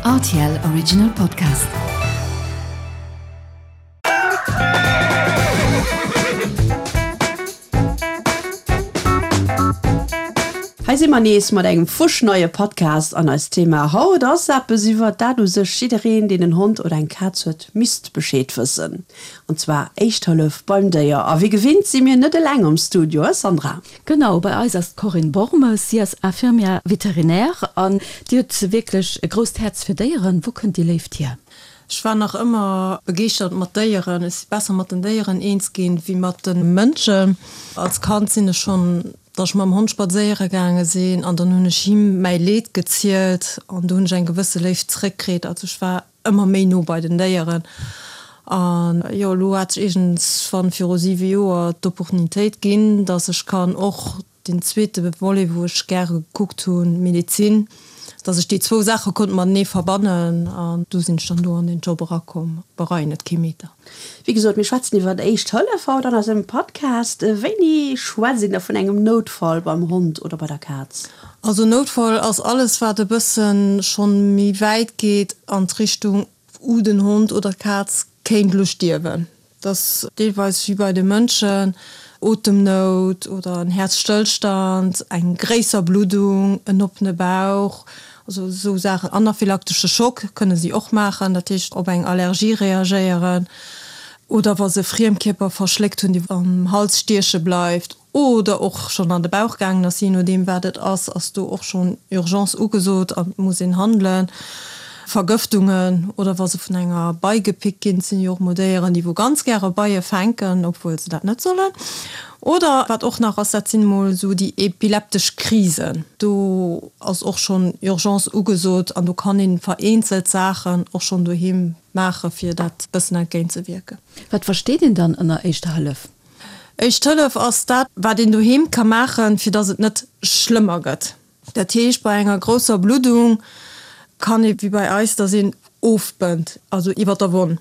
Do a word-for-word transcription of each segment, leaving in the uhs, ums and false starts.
R T L Original Podcast. Hei si mer nees mat engem fuschneie Podcast an eist Thema haut ass eppes iwwer dat u sech jiddereen, deen en Hond oder eng Kaz huet, misst Bescheed wëssen. An zwar Éischt Hëllef beim Déier. A wéi gewinnt si mir net eleng am Studio, he Sandra? Genau, bei eis ass d'Corinne Bormes, si ass Infirmière vétérinaire an déi huet wierklech e grousst Häerz fir Déieren. Wou kënnt déi Léift hier? Ech war nach ëmmer begeeschtert mat Déieren. Ech si besser mat den Déieren eens ginn, wéi mat de Mënschen. Als Kand sinn ech schonn, datt ech mam Hond spadséiere gaange sinn an dann hunn ech him mäi Leed gezielt an do hunn ech eng gewësse Léift zréckkritt. Also ech war ëmmer méi no bei den Déieren. An jo, elo hat sech iergendswann viru siwe Joer d'Opportunitéit ginn, datt ech kann och deen zweete Volet, wou ech gäre gekuckt hunn, Medezin, datt ech déi zwou Saache konnt matenee verbannen an du sinn ech dann do an deen Job erakomm. Bereien et kee Meter. Wéi gesot, mir schwätzen iwwer Éischt Hëllef haut an eisem Podcast. Wéini schwätzt een da vun engem Noutfall beim Hond oder bei der Kaz? Also Noutfall ass alles, wat e bësse schonn méi wäit geet an d'Richtung, wou den Hond oder d'Kaz kéint elo stierwen. Dat ass deelweis wéi bei de Mënschen, Otemnout oder en Häerzstëllstand, eng gréisser Bluddung, en oppene Bauch, also esou Saachen. Anaphylaktesche Schock kënne si och maachen, dat heescht op eng Allergie reagéieren oder wa se Friemkierper verschléckt hunn, déi am Hals stieche bleift oder och schonn an de Bauch gaangen ass, jee nodeem wat et ass, ass do och schonn Urgence ugesot an et muss een handelen. Vergëftungen oder wa se vun enger Bei gepickt ginn, et sinn jo och mol Déieren, déi wou ganz gäre Beie fänken, obwuel se dat net sollen. Oder wat och nach ass, dat sinn emol esou déi epileptesch Krisen. Do ass och schonn Urgence ugesot an do kann ee vereenzelt Saachen och schonn doheem maache fir dat bëssen entgéint ze wierken. Wat versteet een dann ënner Éischter Hëllef? Éischt Hëllef ass dat, wat een doheem ka maachen, fir datt et net schlëmmer gëtt. Dat heescht, bei enger grousser Bluddung kann ee wéi bei eis, datt een ofbënnt, also iwwer der Wonn.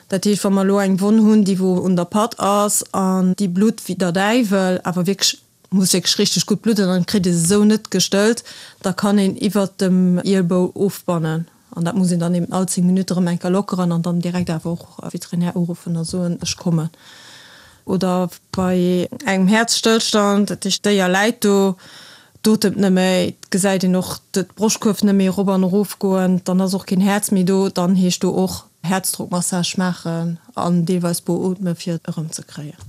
Dat heescht, wa mer elo eng Wonn hunn, déi wou un der Patt ass an déi blutt wéi der Däiwel, awer wierklech, muss wierklech richteg gutt bludden an kritt ee se esou net gestëllt, da kann een iwwert dem Ielbou ofbannen. An dat muss een dann eben all zéng Minutte erëm eng Kéier lockeren an dann direkt awer och Veterinär uruffen a soen, ech kommen. Oder bei engem Häerzstëllstand, dat heescht d'Déier läit do, d'otemt net méi, et gesäit een och d'Broschtkuerf net méi erop an erof goen, dann ass och keen Häerz méi do, dann heescht do och Häerzdrockmassage maachen an deelweis beootme fir et erëmzekréien.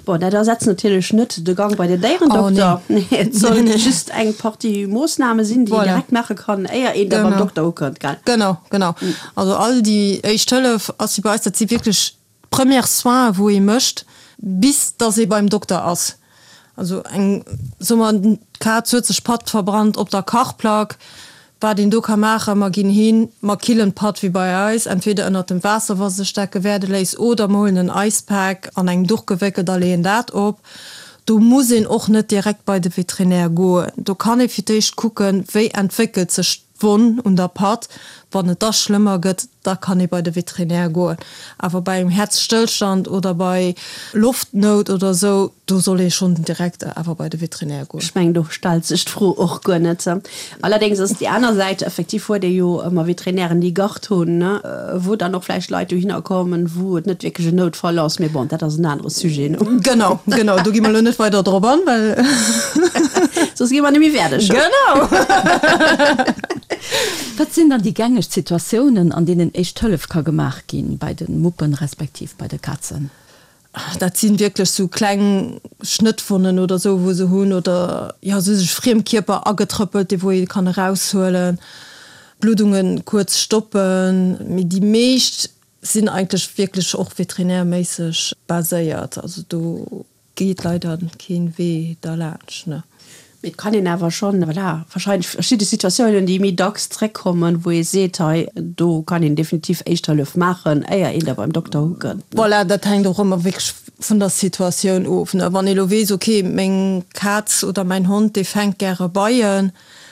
Bon, dat ersetzt natierlech net de Gang bei den Déierendokter. Nee, et soll just eng Partie Moossname sinn, déi een direkt maache kann, éier een da beim Dokter ukënnt, gell? Genau, genau. Also all déi Éischt Hëllef ass wéi bei eis, dat si wierklech Premières soins wou ee mécht bis dass ee beim Dokter ass. Also eng, soe mer, d'Kaz huet sech d'Patt verbrannt op der Kachplack, wat een do ka maachen, mer ginn hin, mer killen d'Patt wéi bei eis, entweder ënnert dem Waasser wa sech dat gewäerde léisst oder mer huelen en Icepack an engem Duch gewéckelt a leeën dat op. Do muss een och net direkt bei de Veterinär goen. Do kann ee fir d'éischt kucken, wéi entwéckelt sech D'Wonn un der Patt, wann et da schlëmmer gëtt, da kann ee bei de Veterinär goen. Awer bei engem Häerzstëllstand oder bei Loftnout oder esou, do soll ee schonn direkt awer bei de Veterinär goen. Ech mengen, do stellt sech d'Fro och guer net. Allerdéngs ass déi aner Säit, effektiv huet ee jo ëmmer Veterinären, déi Garde hunn, wou dann och vläicht Leit dohinner kommen, wou et net wierklech en Noutfall ass. Mee bon, dat ass en anere Sujet. Genau, genau, do gi mer elo net weider drop an, well. Soss gi mer net méi fäerdeg. Genau! Wat sinn dann déi gängeg Situatiounen, an deenen Éischt Hëllef ka gemaach ginn, bei de Muppen respektiv bei de Kazen? Dat si wierklech sou kleng Schnëttwonnen oder sou, wou se hunn, oder jo, se hu sech Friemkierper agetrëppelt, dee wou ee kann eraushuelen, Bluddunge kuerz stoppen. Mee déi meescht sinn eigentlech wierklech och veterinärméisseg baséiert. Also do geet leider keen Wee derlaanscht, ne. Mee et kann een awer schonn, voilà, wahrscheinlech verschidde Situatiounen, déi méi dacks zréckkommen, wou ee seet, hei do kann een definitiv Éischt Hëllef maachen, éier een da beim Dokter ukënnt. Voilà, dat hänkt och ëmmer wierklech vun der Situatioun of, ne. Wann ee lo weess, okay, meng Kaz oder mäin Hond, dee fänkt gäre Beien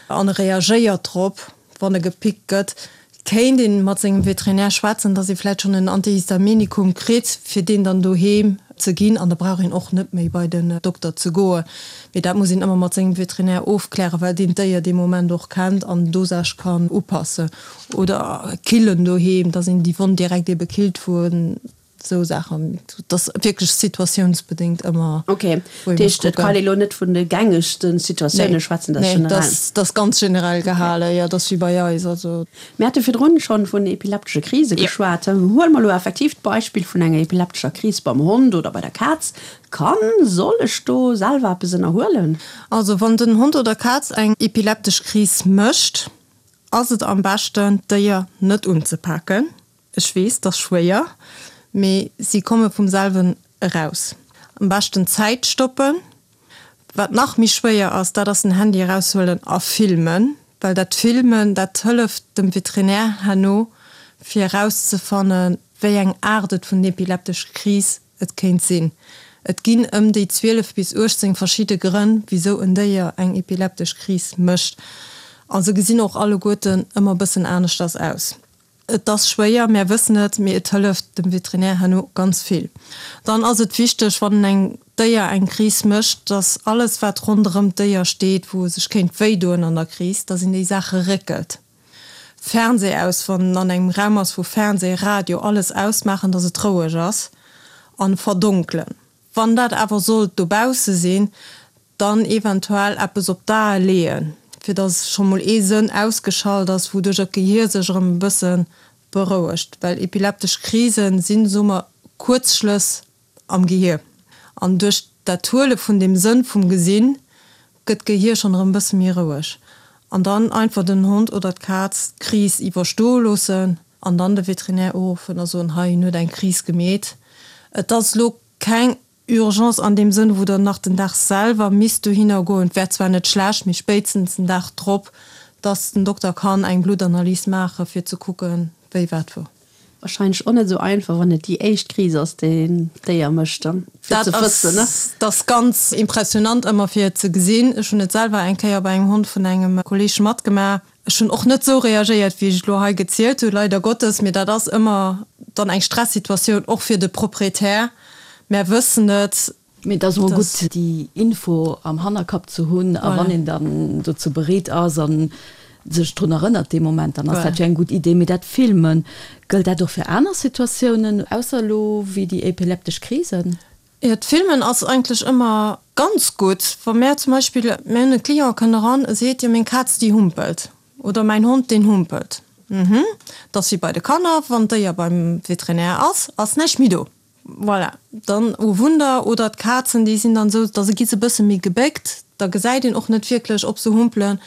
an e reagéiert drop, wann e gepickt gëtt, kéint ee mat sengem Veterinär schwätzen, dass ee vläicht schonn en Antihistaminikum kritt, fir deen dann doheem ze ginn an da brauch een och net méi bei den Dokter ze goen. Mee dat muss een ëmmer mat sengem Veterinär ofklären, well deen d'Déier dee Moment och kennt an d'Dosage kann upassen. Oder killen doheem, dass een déi Wonn direkt ebe killt, wou en Esou Saachen, dat ass wierklech situatiounsbedéngt ëmmer. Ok, dat heescht, et kann ee lo net vun de gängegste Situatioune schwätzen, dat ass generell. Nee, dat ass ganz generell gehalen, jo, dat ass wéi bei eis, also. Mir hate virdrun schonn vun epileptesche Krise geschwat. Huele mer elo effektiv d'Beispill vun enger epileptescher Kris beim Hond oder bei der Kaz. Kann, soll ech do selwer eppes ënnerhuelen? Also wann den Hond oder Kaz eng epileptesch Kris mécht, ass et am beschten d'Déier net unzepaken. Ech weess, 't ass schwéier, mee si komme vum selwen eraus. Am beschten d'Zäit stoppen. Wat nach méi schwéier ass, dat ass den Handy eraushuelen a filmen, well dat Filmen, dat hëlleft dem Veterinär herno fir erauszefannen, wéi eng Aart et vun epileptesch Kris et kéint sinn. Et ginn ëm déi zwielef bis uechtzéng verschidde Grënn, wisou en Déier eng epileptesch Kris mécht. A se gesinn och alleguerten ëmmer bëssen aneschters aus. Et ass schwéier, mär wëssen et, mee et hëlleft dem Veterinär herno ganz vill. Dann ass et wichteg, wann eng Déier eng Kris mécht, dass alles wat ronderëm d'Déier steet, wou e sech kéint wéidoen an der Kris, dass een déi Saache réckelt. Fernseh aus, wann en an engem Raum ass, wou Fernseh, Radio, alles ausmaachen, dass et roueg ass an verdonkelen. Wann dat awer sollt dobausse sinn, dann eventuell eppes op d'Ae leeën, fir dass scho mol ee Sënn ausgeschalt ass, wouduercher d'Gehier sech erëm e bësse berouegt, well epileptesch Krisen sinn, soe mer, Kuerzschlëss am Gehier an duerch dat Huele vun deem Sënn vum Gesinn gëtt d'Gehier schonn erëm e bësse méi roueg. An dann einfach den Hond oder d'Kaz d'Kris iwwerstoe loossen an dann de Veterinär uruffen a soen, hei, en huet eng Kris gemeet. Et ass elo keng Urgence an deem Sënn, wou Der nach den Dag selwer misst dohinner goen. Et wär zwar net schlecht, mee spéitstens den Dag drop, dass den Dokter kann eng Bluttanalys maachen, fir ze kucken, wéi wat wou. Wahrscheinlech och net esou einfach, wann et déi éischt Kris ass, déi en Déier mécht, dann fir ze wëssen, ne? Dat ass ganz impressionant ëmmer fir et ze gesinn. Ech hunn et selwer eng Kéier bei engem Hond vun engem Kolleeg matgemaach. Ech hunn och net esou reagéiert, wéi ech et elo hei gezielt hunn, leider Gottes, mee dat ass ëmmer dann eng Stressituatioun, och fir de Proprietär. Mär wëssen et. Mee et ass emol gutt, déi Info am Hannerkapp ze hunn. A wann een dann dozou bereet ass a sech drun erënnert dee Moment, dann ass dat jo eng gutt Idee. Mee dat Filmen, gëllt dat och fir aner Situatiounen, ausser elo wéi déi epileptesch Krisen? Jo, d'Filmen ass eigentlech ëmmer ganz gutt. Wa mär zum Beispill, mär hunn e Client, kënnt eran, e seet, jo meng Kaz déi humpelt oder mäin Hond deen humpelt. Mhm, dat ass wéi bei de Kanner, wann d'Déier beim Veterinär ass, ass näischt méi do. Voilà, dann, oh Wunder, oder d'Kazen, déi sinn dann esou, da gi se e bësse méi gebéckt, da gesäit een och net wierklech, ob se humpelen.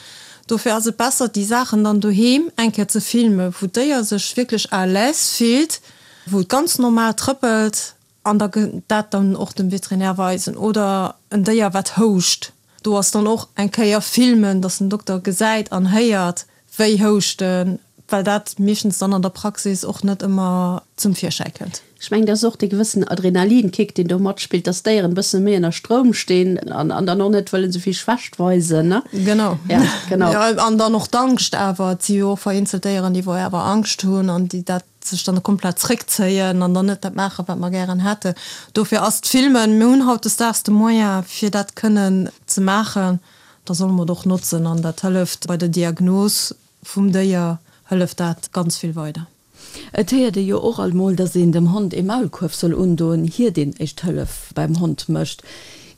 Dofir ass et besser, déi Saachen dann doheem eng Kéier ze filmen, wou d'Déier sech wierklech à l'aise fillt, wou et ganz normal trëppelt, an da dat dann och dem Veterinär weisen. Oder en Déier, wat houscht, do ass dann och eng Kéier filmen, dass den Dokter gesäit an héiert, wéi houscht en, well dat meeschtens dann an der Praxis och net ëmmer zum Virschäi kënnt. Ech mengen, dat ass och dee gewëssen Adrenalinkick, deen do matspillt, dass d'Déieren e bësse méi ënner Stroum stinn an dann och net wëllen esou vill Schwächt weisen, ne? Genau. Ja, genau. Jo, an dann och d'Angscht awer. Et si jo och vereenzelt Déieren, déi wou awer Angscht hunn an déi dat sech dann komplett zréckzéien an dann net dat maachen, wat mer gären hätten. Dofir ass d'Filmen, mir hunn hautdesdaags de Moyen, fir dat kënnen ze maachen, da solle mer et och notzen an dat hëlleft bei der Diagnos vum Déier, hëlleft dat ganz vill weider. Et héiert ee jo och alt mol, dass een dem Hond ee Maulkuerf soll undoen, iert een Éischt Hëllef beim Hond mécht.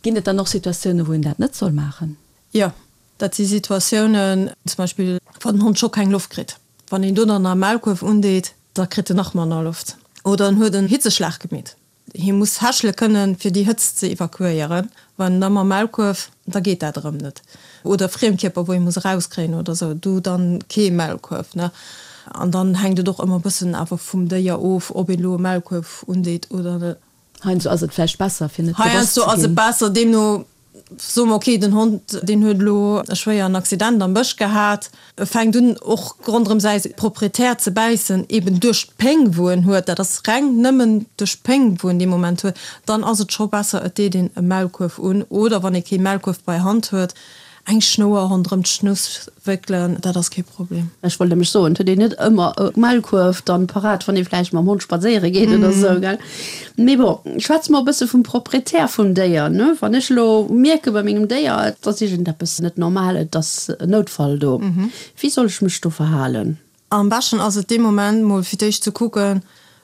Ginn et dann och Situatiounen, wou een dat net soll maachen? Jo, dat si Situatiounen, zum Beispill wann den Hond scho keng Loft kritt. Wann een do dann nach e Maulkuerf undeet, da kritt en nach manner Loft. Oder en huet en Hitzeschlag gemeet. Hie muss hechele kënnen, fir déi Hëtzt ze evakuéieren. Wann da mam Maulkuerf, da geet dat erëm net. Oder Friemkierper, wou ee muss erauskréien oder esou, do dann kee Maulkuerf, ne. An dann hänkt et och ëmmer e bëssen awer vum Déier of, ob een elo e Maulkuerf undeet oder net. Heiansdo ass et vläicht besser, fir net gebass ze ginn. Heiansdo ass et besser, deemno Soe mer, ok, den Hond, deen huet elo e schwéieren Accident am Bësch gehat, e fänkt un och ronderëm säi Proprietär ze bäissen, eben duerch d'Péng, wou en huet, dat ass reng nëmmen duerch d'Péng, wou en dee Moment huet, dann ass et scho besser, et deet een e Maulkuerf un oder, wann ee kee Maulkuerf bei Hand huet, eng Schnouer ronderëm d'Schnouss wéckelen, dat ass kee Problem. Ech wollt nämlech soen, et huet een net ëmmer e Maulkuerf dann parat, wann ee vläicht mam Hond spadséiere geet oder esou, gell? Mee bon, schwätze mer e bësse vum Proprietär vum Déier, ne? Wann ech elo mierke bei mengem Déier, et ass iergendeppes net normal, et ass en Noutfall do, wéi soll ech mech do verhalen? Am beschten ass et dee Moment mol fir d'éischt ze kucken,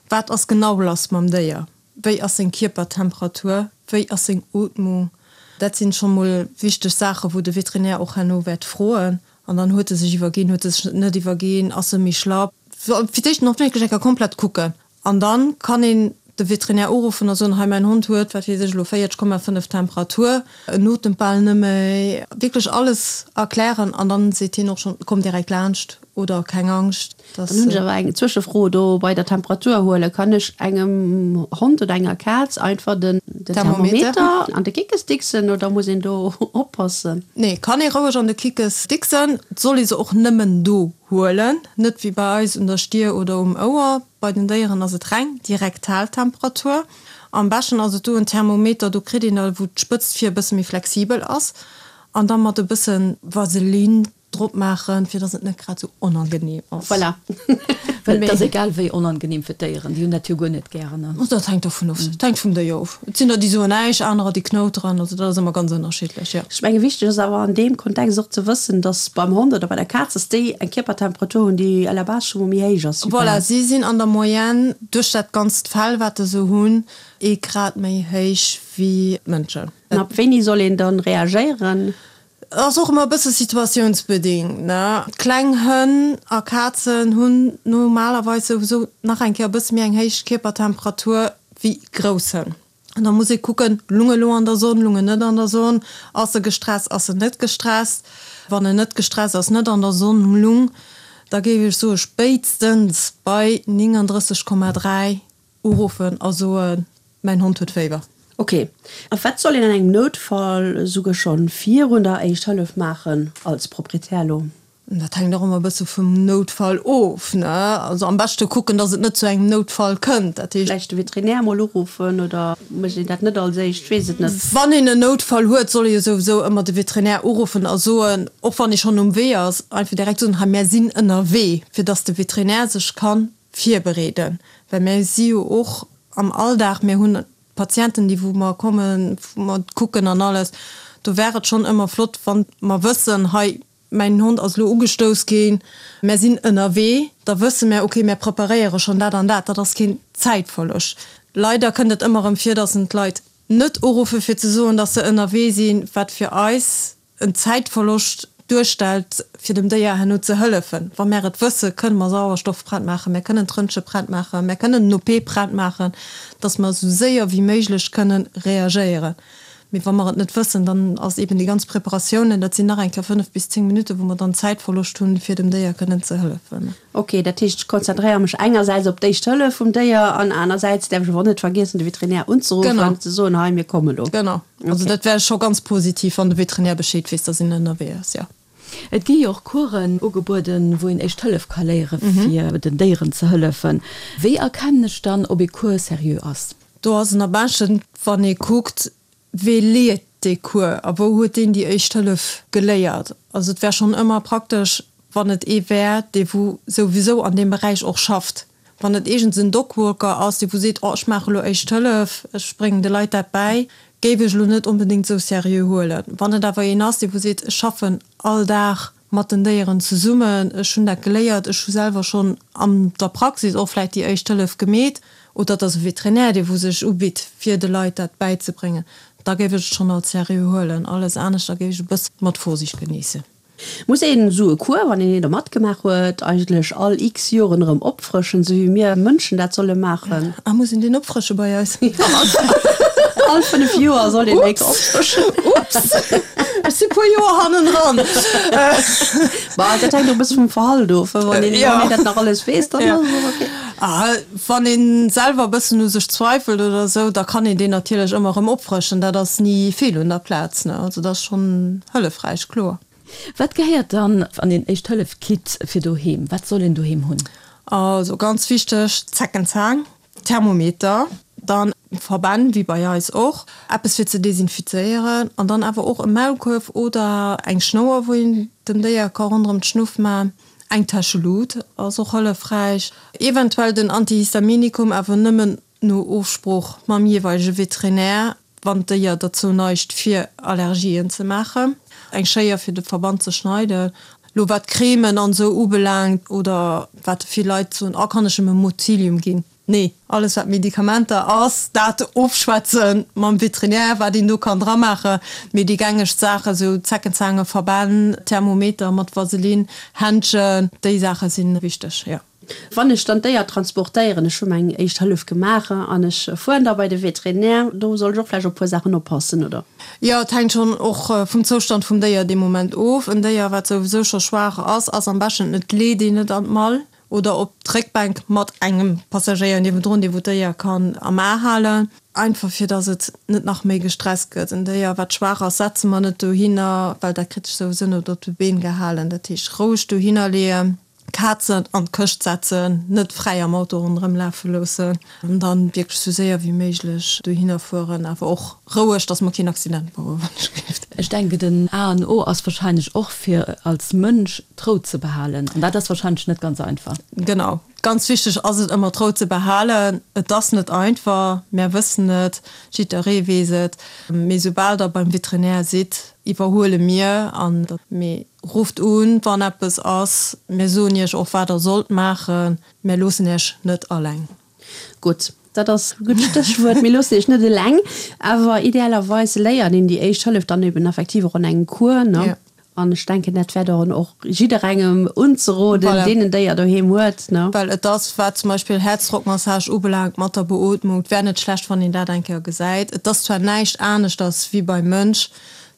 wat ass genau lass mam Déier, wéi ass seng Kierpertemperatur, wéi ass seng Ootmung. Dat sinn scho mol wichteg Saachen, wou de Veterinär och herno wäert froen. An dann huet e sech iwwerginn, huet e sech net iwwerginn, ass e méi schlapp. Fir d'éischt den Hond wierklech eng Kéier komplett kucken. An dann kann een de Veterinär uruffen a soen, hei mäin Hond huet, wat weess ech elo, véierteg Komma fënnef Temperatur, en otemt bal net méi. Wierklech alles erklären an dann seet hien och schonn, komm direkt laanscht oder keng Angscht. Dann hunn ech awer eng Zwëschefro do bei der Temperatur huelen. Kann ech engem Hond oder enger Kaz einfach den Thermometer an de Kickes dicksen oder muss een do oppassen? Nee, kann ee roueg an de Kickes dicksen. Et soll ee se och nëmmen do huelen, net wéi bei eis un der Stier oder um Ouer. Bei den Déieren ass et reng déi rektal Temperatur. Am beschten ass et do en Thermometer, do kritt een der, wou d'Spëtzt vir e bësse méi flexibel ass an da mat e bësse Vaseline drop maachen, fir dass et net grad sou onangenehm ass. Voilà. Well et ass egal wéi onangenehm fir d'Déieren, déi hunn dat jo guer net gären. Dat hänkt dovun of, dat hänkt vum Déier of. Et sinn der, déi soen näischt, anerer, déi knouteren, also dat ass ëmmer ganz ënnerschiddlech, jo. Ech menge wichteg ass awer an deem Kontext och ze wëssen, dass beim Hond oder bei der Kaz, dass déi eng Kierpertemperatur hunn, déi à la base scho mol méi héich ass wéi bei Voilà, eis. si sinn an der Moyenne duerch dat ganzt Fell, wat se sou hunn, ee Grad méi héich wéi d'Mënschen. An ab wéini soll een dann reagéieren? Ass och ëmmer e bësse situatiounsbedingt, ne. Kleng Hënn a Kazen hunn normalerweis souwisou nach eng Kéier e bësse méi eng héich Kierpertemperatur wéi grouss Hënn. An da muss ee kucken, lung e lo an der Sonn, lung en net an der Sonn, ass e gestresst, ass en net gestresst. Wann en net gestresst ass, net an der Sonn lung, da géif ech soe spéitstens bei néngandrësseg Komma dräi uruffen a soen, Mäin Hond huet Féiwer. Ok. A wat soll een an engem Noutfall esouguer schonn virun der Éischt Hëllef maachen, als Proprietär elo? Dat hänkt och ëmmer e bësse vum Noutfall of, ne? Also am beschte kucken, dass et net zu engem Noutfall kënnt. Dat heescht. Vläicht de Veterinär mol uruffen oder mécht een dat net als éischt? Ech weess et net. Wann een en Noutfall huet, soll ee jo souwisou ëmmer de Veterinär uruffen a soen, och wann ee schonn um Wee ass, einfach direkt soen, hei mär sinn ënnerwee, fir dass de Veterinär sech ka virbereeden. Well mär si jo och am Alldag, mir hunn Patienten, déi wou mer kommen, wou mer kucken an alles, do wär et schonn ëmmer flott, wann mer wëssen, hei mäin Hond ass elo ugestouss ginn, mär sinn ënnerwee, da wësse mär, okay, mär preparéiere schonn dat an dat, dat ass keen Zäitverloscht. Leider kënnt et ëmmer erëm vir, dass en d'Leit net uruffe fir ze soen, dass se ënnerwee sinn, wat fir eis en Zäitverloscht duerstellt, fir dem Déier herno ze hëllefen. Wa mär et wëssen, kënne mer Sauerstoff prett maachen, mär kënnen d'Röntge prett maachen, mär kënnen den OP prett maachen, dass mer esou séier wéi méiglech kënnen reagéieren. Mee wa mer et net wëssen, dann ass eben déi ganz Preparatiounen, dat sinn nach eng Kéier fënnef bis zéng Minutten, wou mer dann Zäitverloscht hunn, fir dem Déier kënnen ze hëllefen. Ok, dat heescht, ech konzentréiere mech engersäits op d'éischt Hëllef vum Déier an anersäits däerf ech awer och net vergiessen, de Veterinär unzeruffen an ze soen, hei, mir kommen elo. Genau. Also dat wär scho ganz positiv, wann de Veterinär Bescheed weess, dass een ënnerwee ass, jo. Et gi jo och Coursen ugebueden, wou een Éischt Hëllef ka léieren, fir den Déieren ze hëllefen. Wéi erkennen ech dann, ob ee Cours seriö ass? Do ass en am beschten, wann ee kuckt, wee leet dee Cours a wou huet deen déi Éischt Hëllef geléiert. Also et wär schonn ëmmer praktesch, wann et ee wär, dee wou souwisou an deem Beräich och schafft. Wann et iergends en Dogwalker ass, dee wou seet, oh ech maache lo Éischt Hëllef, ech bréngen de Leit dat bäi, géif ech elo net onbedéngt esou seriö huelen. Wann et awer een ass, dee wou seet, ech schaffen all Dag mat den Déieren zesummen, ech hunn dat geléiert, ech hu selwer schonn an der Praxis och vläicht déi Éischt Hëllef gemeet, oder et ass e Veterinär, dee wou sech ubitt, fir de Leit dat bäizebréngen, da géif ech et schonn als seriö huelen. Alles aneschter géif ech e bësse mat Vorsicht geniessen. Muss een esou e Cours, wann een een do matgemaach huet, eigentlech all x Joren erëm opfrëschen, esou wéi mir Mënschen dat solle maachen? Ah, muss een deen opfrësche bei eis? All fënnef Joer soll een eng Kéier opfrëschen. Ups, ech si puer Joer hannendran. Bah, dat hänkt och e bësse vum Verhalt of, wann een dat nach alles weess, dann ass et och ok. Ah, wann ee selwer e bëssen u sech zweifelt oder esou, da kann een deen natierlech ëmmer erëm opfrëschen. Dat ass ni fehl un der Plaz, ne? Also dat ass schonn hëllefräich, kloer. Wat gehéiert dann an een Éischt-Hëllef-Kit fir doheem? Wat soll een doheem hunn? Also ganz wichteg, Zeckenzaang, Thermometer, dann Verbänn, wéi bei eis och, eppes fir ze desinfizéieren an dann awer och e Maulkuerf oder eng Schnouer, wou een dem Déier ka ronderëm d'Schnuff man. Eng Täschelut ass och hëllefräich. Eventuell den Antihistaminikum, awer nëmmen no Ofsprooch mam jeeweilege Veterinär, wann d'Déier derzou neigt fir Allergien ze maachen. Eng Schéier fir de Verband ze schneiden. Lo wat Cremen an esou ubelaangt oder wat vill Leit soen, oh kann ech em e Motilium ginn? Nee, alles wat Medikamenter ass, dat ofschwätze mam Veterinär, wat een do kann dra maachen. Mee déi gängeg Saachen, esou Zeckenzange, Verbänn, Thermometer mat Vaseline, Händschen, déi Saache si wichteg, jo. Wann ech dann d'Déier transportéieren, ech hu meng éischt Hëllef gemaach an ech fueren da bei de Veterinär, do soll ech och vläicht op e puer Saachen oppassen, oder? Jo, et hänkt schonn och vum Zoustand vum Déier dee Moment of. En Déier, wat souwisou scho schwaach ass, ass am beschten, et leet een et an d'Mall oder op d'Réckbänk mat engem Passagéier niewendrun, dee wou d'Déier kann am A halen, einfach fir dass et net nach méi gestresst gëtt. En Déier, wat schwaach ass, setze mer net dohinner, well dat kritt sech souwisou net op de Been gehalen. Dat heescht, roueg dohinner leeën. Kazen an d'Këscht setzen, net fräi am Auto ronderëm lafe loossen an dann wierklech sou séier wéi méiglech dohinner fueren, awer och roueg, dass mer keen Accident bauen, wann ech gelift. Ech denken den A an O ass wahrscheinlech och fir als Mënsch d'Rou ze behalen an dat ass wahrscheinlech net ganz einfach. Genau, ganz wichteg ass et ëmmer d'Rou ze behalen. Et ass net einfach, mär wëssen et, jidderee weess et, mee soubal der beim Veterinär sidd, iwwerhuele mir an der mee rufft un wann eppes ass, mir soen iech och wat der sollt maachen, mir loossen iech net alleng. Gutt, dat ass e gutt Stéchwuert, mir loossen iech net eleng, awer idealerweis léiert een déi éischt Hëllef dann eben effektiv och an engem Cours, ne? Jo. An ech denken, dat wär dann och jidderengem unzeroden, Voilà. deen en Déier doheem huet, ne? Well et ass, wat zum Beispill Herzdrockmassage ubelaangt mat der Beootmung, et wär net schlecht, wann een dat eng Kéier gesäit. Et ass zwar näischt aneschters wéi beim Mënsch,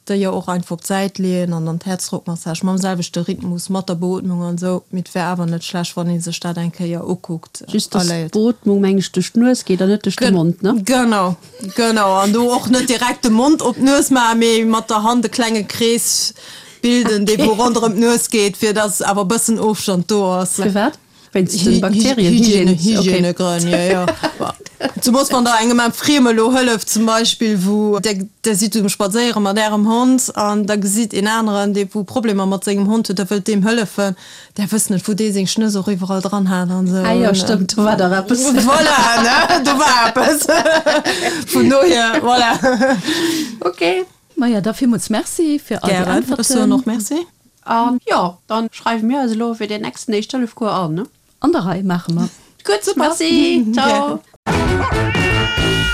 Déier och einfach op d'Säit leeën an dann d'Herzdrockmassage mam selwechte Rhythmus, mat der Beootmung an esou. Mee et wär awer net schlecht, wann ee sech dat eng Kéier ukuckt Just a dass léiert. d'Beootmung, meng ech, duerch d'Nues geet an net duerch de Mond, ne? Genau, genau. An do och net direkt de Mond op d'Nues maachen, mee mat der Hand e klenge Krees bilden, dee wou ronderëm d'Nues geet, fir dass awer e bëssen Ofstand do ass. Firwat? Wéinst den Bakterien? Hygiène, Hygiène, okay. Hygiènegrënn, jo, jo. Zemoos wann der engem Frieme elo hëlleft zum Beispill, wou der, der sidd um Spadséiere mat ärem Hond an da gesitt een aneren, dee wou Problemer mat sengem Hond huet, der wëllt deem hëllefen, där wësst net, wou dee seng Schnëss och iwwerall dran hat an esou. Ah jo, stëmmt, do war dach eppes. Voilà, ne, do war eppes. Vun dohier, voilà. Okay. Maja, da villmools Merci fir all déi Gären, ech soen Äntwerten. och Merci. An jo, dann schreiwe mir eis elo fir deen nächsten Éischt-Hëllef-Cours an, ne? An der Rei, maache mer. Gutt, merci, ciao. Gären.